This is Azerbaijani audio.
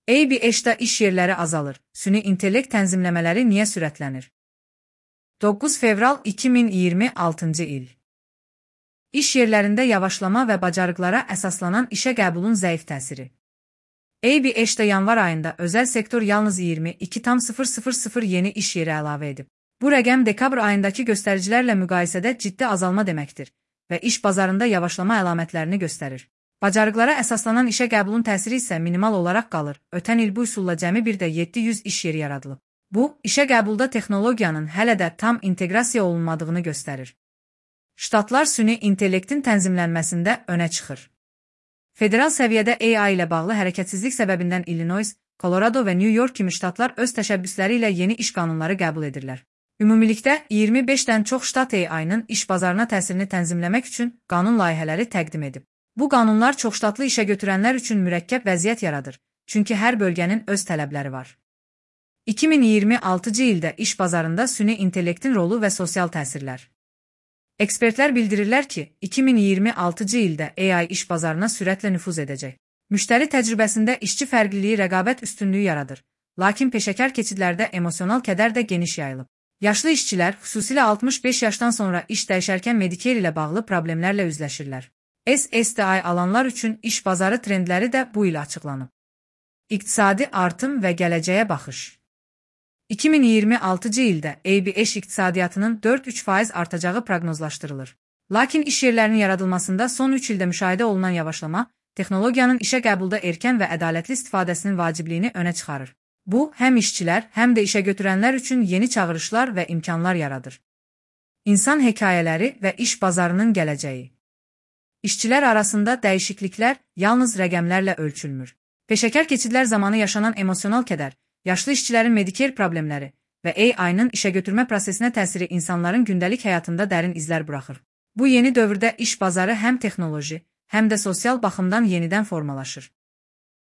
ABH-da iş yerləri azalır. Süni intellekt tənzimləmələri niyə sürətlənir? 9 fevral 2026-cı il. İş yerlərində yavaşlama və bacarıqlara əsaslanan işə qəbulun zəif təsiri. ABH-da yanvar ayında özəl sektor yalnız 22,000 yeni iş yeri əlavə edib. Bu rəqəm dekabr ayındakı göstəricilərlə müqayisədə ciddi azalma deməkdir və iş bazarında yavaşlama əlamətlərini göstərir. Bacarıqlara əsaslanan işə qəbulun təsiri isə minimal olaraq qalır. Ötən il bu üsulla cəmi bir də 700 iş yeri yaradılıb. Bu, işə qəbulda texnologiyanın hələ də tam inteqrasiya olunmadığını göstərir. Ştatlar süni intellektin tənzimlənməsində önə çıxır. Federal səviyyədə AI ilə bağlı hərəkətsizlik səbəbindən Illinois, Colorado və New York kimi ştatlar öz təşəbbüsləri ilə yeni iş qanunları qəbul edirlər. Ümumilikdə 25-dən çox ştat AI-nın iş bazarına təsirini tənzimləmək üçün qanun layihələri təqdim edib. Bu qanunlar çoxştatlı işə götürənlər üçün mürəkkəb vəziyyət yaradır, çünki hər bölgənin öz tələbləri var. 2026-cı ildə iş bazarında süni intellektin rolu və sosial təsirlər. Ekspertlər bildirirlər ki, 2026-cı ildə AI iş bazarına sürətlə nüfuz edəcək. Müştəri təcrübəsində işçi fərqliliyi rəqabət üstünlüyü yaradır, lakin peşəkar keçidlərdə emosional kədər də geniş yayılıb. Yaşlı işçilər, xüsusilə 65 yaşdan sonra iş dəyişərkən Medicare ilə bağlı problemlərlə üzləşirlər. SSDI alanlar üçün iş bazarı trendləri də bu il açıqlanıb. İqtisadi artım və gələcəyə baxış. 2026-cı ildə ABH iqtisadiyyatının 4-3% artacağı proqnozlaşdırılır. Lakin iş yerlərinin yaradılmasında son 3 ildə müşahidə olunan yavaşlama, texnologiyanın işə qəbulda erkən və ədalətli istifadəsinin vacibliyini önə çıxarır. Bu, həm işçilər, həm də işə götürənlər üçün yeni çağırışlar və imkanlar yaradır. İnsan hekayələri və iş bazarının gələcəyi. İşçilər arasında dəyişikliklər yalnız rəqəmlərlə ölçülmür. Peşəkar keçidlər zamanı yaşanan emosional kədər, yaşlı işçilərin Medicare problemləri və AI-nın işə götürmə prosesinə təsiri insanların gündəlik həyatında dərin izlər buraxır. Bu yeni dövrdə iş bazarı həm texnoloji, həm də sosial baxımdan yenidən formalaşır.